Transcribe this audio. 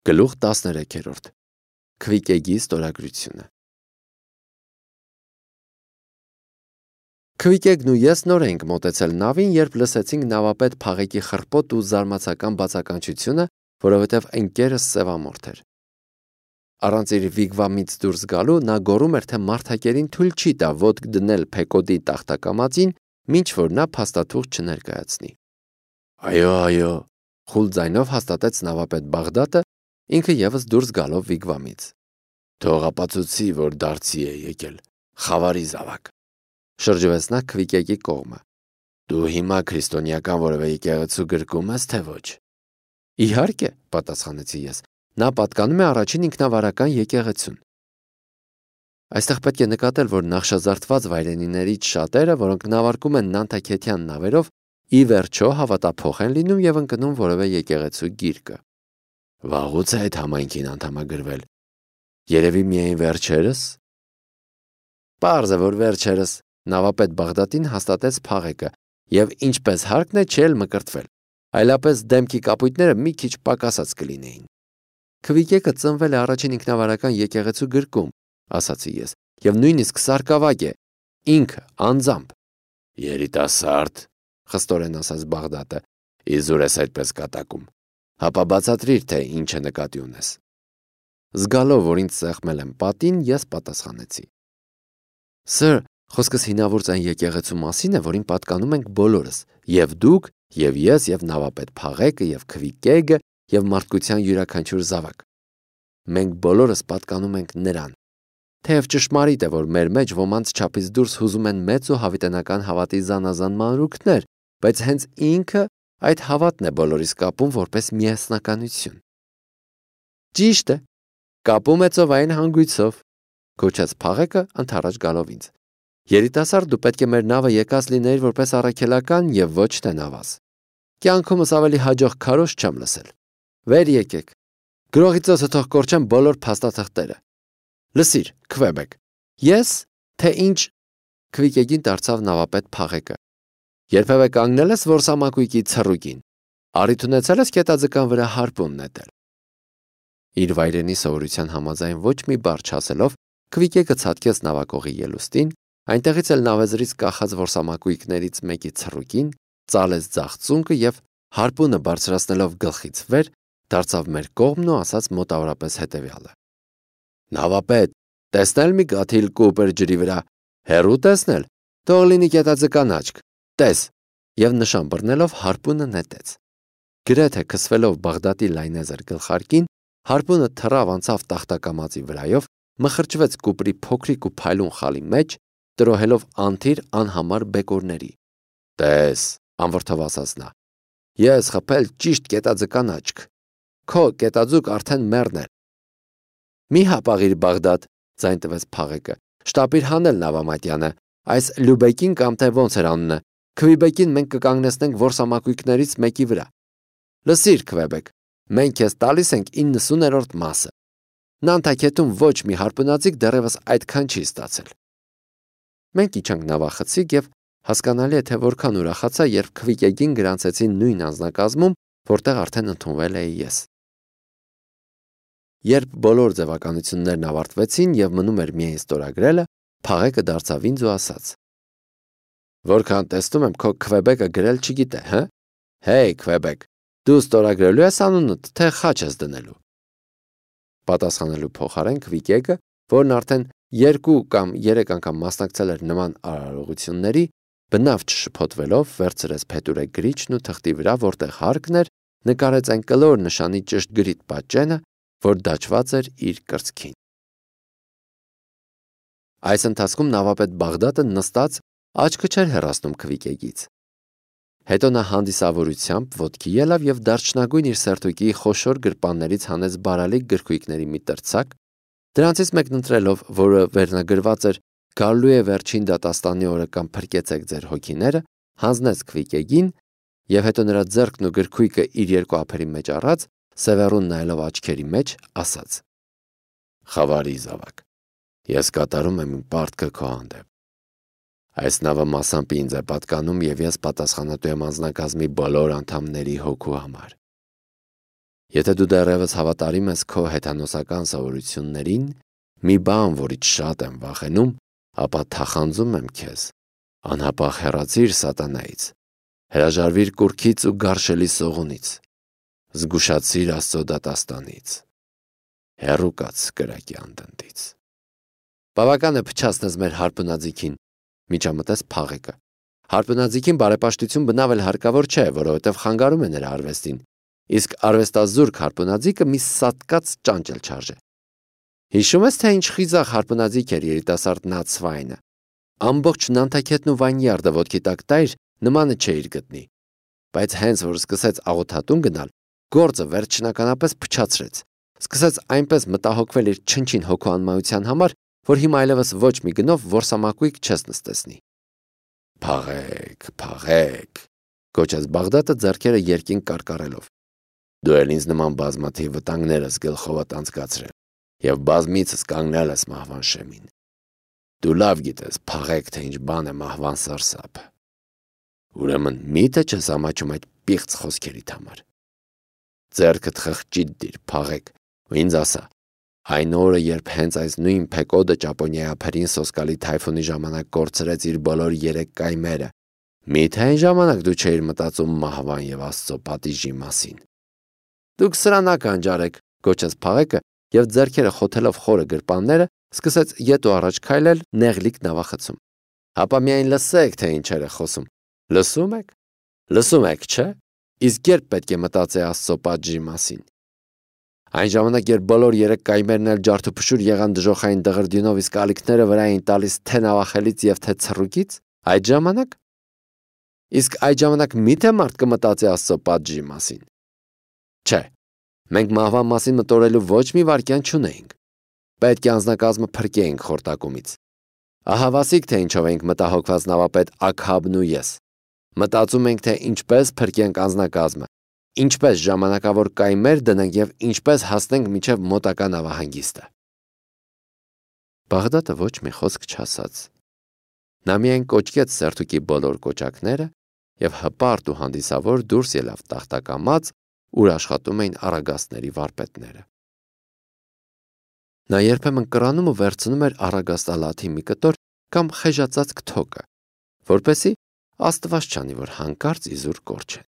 Գլուխ 13 Քվիկեգի ստորագրությունը Քվիկեգն ու ես նոր ենք մոտեցել նավին, երբ լսեցինք նավապետ Փաղեկի խռպոտ ու զարմացական բացականչությունը, որովհետև ընկերս սևամորթ էր։ Առանց իր վիգվամից դուրս գալու նա գոռում էր, թե մարդակերին թույլ չի տա ոտք դնել Փեկոդի տախտակամածին, մինչ որ նա փաստաթուղթ չներկայացնի։ Այո, խուլ ձայնով հաստատեց նավապետ Բաղդատը, ինքը ևս դուրս գալով վիգվամից։ Թող ապացուցի, որ դարձի է եկել, խավարի զավակ։ Շրջվեց նա Քվիկեգի կողմը։ Դու հիմա քրիստոնեական որևէ եկեղեցու գրկում ես, թե ոչ։ Իհարկե, պատասխանեցի ես, նա պատկանում է առաջին ինքնավարական եկեղեցուն։ Այստեղ պետք է նկատել, որ նախշազարդված վայրենիներից շատերը, որոնք նավարկում են նանտակետյան նավերով, ի վերջո հավատափոխ են լինում եւ ընկնում որևէ եկեղեցու գիրկը։ Վաղուց է այդ համայնքին անդամագրվել։ Երևի միայն վերջերս։ Պարզ է, որ վերջերս, նավապետ Բաղդատին հաստատեց Փաղեկը, եւ ինչպես հարկն է չէլ մկրտվել, այլապես դեմքի կապույտները մի քիչ պակասած կլինեին։ Քվիկեկը ծնվել է առաջին ինքնավարական եկեղեցու գրկում, ասացի ես, եւ նույնիսկ սարկավագ է, ինքը անձամբ։ Երիտասարդ, խստորեն ասաց Բաղդատը, իզուր ես այդպես կատակում։ Հապա բացատրիր, թե ինչ է նկատի ունես։ Զգալով, որ ինձ սեղմել եմ պատին, ես պատասխանեցի. Սր, խոսքս հինավուրց այն եկեղեցու մասին է, որին պատկանում ենք բոլորս, եւ դուք, եւ ես, եւ նավապետ Փաղեկը, եւ Քվիկեգը, եւ մարդկության յուրաքանչյուր զավակ։ Մենք բոլորս պատկանում ենք նրան։ Թեև ճշմարիտ է, որ մեր մեջ ոմանց չափից դուրս հուզում են մեծ ու հավիտենական հավատի զանազան մանրուքներ, բայց հենց ինքը այդ հավատն է բոլորիս կապում որպես միասնականություն։ Ճիշտ է, կապում է ծովային հանգույցով, գոչեց Փաղեկը ընդառաջ գալով ինձ։ Երիտասարդ, դու պետք է մեր նավը եկած լինեիր որպես առաքելական եւ ոչ թե նավազ։ Կյանքումս ավելի հաջող քարոզ չեմ լսել։ Վեր եկեք։ Գրողի ծոցը թող կորչեն բոլոր փաստաթղթերը։ Լսիր, Քվեբեկ։ Ես, թե ինչ, Քվիկեգին դարձավ նավապետ Փաղեկը։ Երբևէ կանգնել ես որսամակույկի ցռուկին։ Առիթ ունեցել ես կետաձկան վրա հարպուն նետել։ Իր վայրենի սովորության համաձայն ոչ մի բառ չասելով, Քվիկեկը ցատկեց նավակողի ելուստին, այնտեղից էլ նավեզրից կախած որսամակույկներից մեկի ցռուկին, ծալեց ձախ ծունկը եւ հարպունը բարձրացնելով գլխից վեր, դարձավ մեր կողմն ու ասաց մոտավորապես հետեւյալը. Նավապետ, տեսնել մի գաթիլ կուպեր ջրի վրա, հեռու տեսնել, թող լինի կետաձկան աչք, տես, եւ նշան բռնելով հարպունը նետեց։ Գրեթե քսվելով Բաղդատի լայնեզր գլխարկին, հարպունը թռավ անցավ տախտակամածի վրայով, մխրճվեց կուպրի փոքրիկ ու փայլուն խալի մեջ, տրոհելով անթիր անհամար բեկորների։ Տես, անվրդով ասաց նա, ես խփել ճիշտ կետաձկան աչք, քո կետաձուկ արդեն մեռնել։ Մի հապաղիր Բաղդադ, ձայն տվեց Փաղեկը, շտապիր հանել նավամատյանը, այս Լյուբեկին կամ թե ոնց էր անունը, Քվիբեկին մենք կկանգնեցնենք որսամակույկներից մեկի վրա։ Լսիր, Քվեբեկ, մենք քեզ տալիս ենք 90-րդ մասը։ Նանտակետում ոչ մի հարպունածիկ դեռևս այդքան չի ստացել։ Մենք իջանք նավախցիկ եւ հասկանալի է, թե որքան ուրախացա, երբ Քվիկեգին գրանցեցին նույն անձնակազմում, որտեղ արդեն ընդունվել էի ես։ Երբ բոլոր ձևականություններն ավարտվեցին եւ մնում էր միայն ստորագրելը, Փաղեկը դարձավ ինձ ու ասաց. Որքան տեսնում եմ, քո Քվեբեկը գրել չգիտե, հա։ Հեյ, Քվեբեկ, դու ստորագրելու ես անունդ, թե խաչ ես դնելու։ Պատասխանելու փոխարեն Քվիկեկը, որն արդեն 2 կամ 3 անգամ մասնակցել էր նման արարողությունների, բնավ չշփոթվելով վերցրեց փետուրե գրիչն ու թղթի վրա, որտեղ հարկն էր, նկարեց այն կլոր նշանի ճշտգրիտ պատճենը, որ դաջված էր իր կրծքին։ Այս ընթացքում նավապետ Բաղդատը նստած աչքը չէր հեռացնում Քվիկեգից։ Հետո նա հանդիսավորությամբ ոտքի ելավ եւ դարչնագույն իր սերտուկի խոշոր գրպաններից հանեց բարալիկ գրքույկների մի տրցակ, դրանցից մեկն ընտրելով, որը վերնագրված էր «Գալու է վերջին դատաստանի օրը կամ փրկեցեք ձեր հոգիները», հանձնեց Քվիկեգին եւ հետո նրա ձեռքն ու գրքույկը իր երկու ափերի մեջ առած, սևեռուն նայելով աչքերի մեջ, ասաց. Խավարի զավակ, ես կատարում եմ իմ պարտքը քո հանդեպ։ Այս նավը մասամբ ինձ է պատկանում եւ ես պատասխանատու եմ անձնակազմի բոլոր անդամների հոգու համար։ Եթե դու դեռևս հավատարիմ ես քո հեթանոսական սովորություններին, մի բան, որից շատ եմ վախենում, ապա թախանձում եմ քեզ, անհապաղ հեռացիր սատանայից, հրաժարվիր կուռքից ու գարշելի սողունից, զգուշացիր Աստծո դատաստանից, հեռու կաց կրակի անդնդից։ Բավական է փչացնես մեր հարբնաձիգին, միջամտեց Փաղեկը։ Հարբնաձիգին բարեպաշտություն բնավ էլ հարկավոր չէ, որովհետև խանգարում է նրա արվեստին, իսկ արվեստազուրկ հարբնաձիգը մի սատկած ճանճ էլ չարժե։ Հիշում ես, թե ինչ խիզախ հարբնաձիգ էր երիտասարդ Նացվայնը։ Ամբողջ Նանթաքետն ու Վայնյարդը ոտքի տակ տայր, նմանը չէիր գտնի։ Բայց հենց որ սկսեց աղոթատուն գնալ, գործը վերջնականապես փչացրեց։ Սկսեց այնպես մտահոգվել իր չնչին հոգու անմայության համար, որ հիմա այլևս ոչ մի գնով որսամակույկ չես նստեցնի։ Փաղեք, գոչեց Բաղդադը ձեռքերը երկինք կարկառելով։ Դու էլ ինձ նման բազմաթիվ վտանգներ ես գլխովդ անցկացրել եւ բազմիցս կանգնել ես մահվան շեմին։ Դու լավ գիտես, Փաղեք, թե ինչ բան է մահվան սարսափը։ Ուրեմն միթե չես ամաչում այդ պիղծ խոսքերիդ համար։ Ձեռքդ խղճիտ դիր, Փաղեք, ու ինձ ասա, այն օրը, երբ հենց այս նույն Փեկոդը Ճապոնիայի ափերին սոսկալի թայֆունի ժամանակ կորցրեց իր բոլոր 3 կայմերը, միթե այն ժամանակ դու չէիր մտածում մահվան եւ Աստծո պատիժի մասին։ Դուք սրանակ անջարեք, գոչեց Փաղեկը եւ ձեռքերը խոթելով խորը գրպանները, սկսեց ետ ու առաջ քայլել նեղլիկ նավախցում։ Հապա միայն լսեք, թե ինչեր է խոսում։ Լսում եք, չէ՞։ Իսկ երբ պետք է մտածել Աստծո պատժի մասին։ Այն ժամանակ, երբ բոլոր 3 կայմերն էլ ջարդուփշուր եղան դժոխային դղրդյունով, իսկ ալիքները վրա էին տալիս թե նավախելից եւ թե ցռուկից, այդ ժամանակ։ Իսկ այդ ժամանակ միթե մարդ կմտածի Աստծո պատժի մասին։ Չէ, մենք մահվան մասին մտորելու ոչ մի վարքյան չունեինք։ Պետք է անձնակազմը փրկեինք խորտակումից։ Ահա վասիկ, թե ինչով ենք մտահոգված նավապետ Աքհաբն ու ես։ Մտածում ենք, թե ինչպես փրկենք անձնակազմը, ինչպես ժամանակավոր կայմեր դնենք եւ ինչպես հասնենք մինչեւ մոտակա նավահանգիստը։ Բաղդադը ոչ մի խոսք չասաց։ Նա միայն կոչկեց սերթուկի բոլոր կոճակները եւ հպարտ ու հանդիսավոր դուրս ելավ տախտակամած, ուր աշխատում էին առագաստների վարպետները։ Նա երբեմն կռանում ու վերցնում էր առագաստալաթի մի կտոր կամ խեժածած քթոկը, որպեսզի Աստված չանի, որ հանկարծ իզուր կորչեն։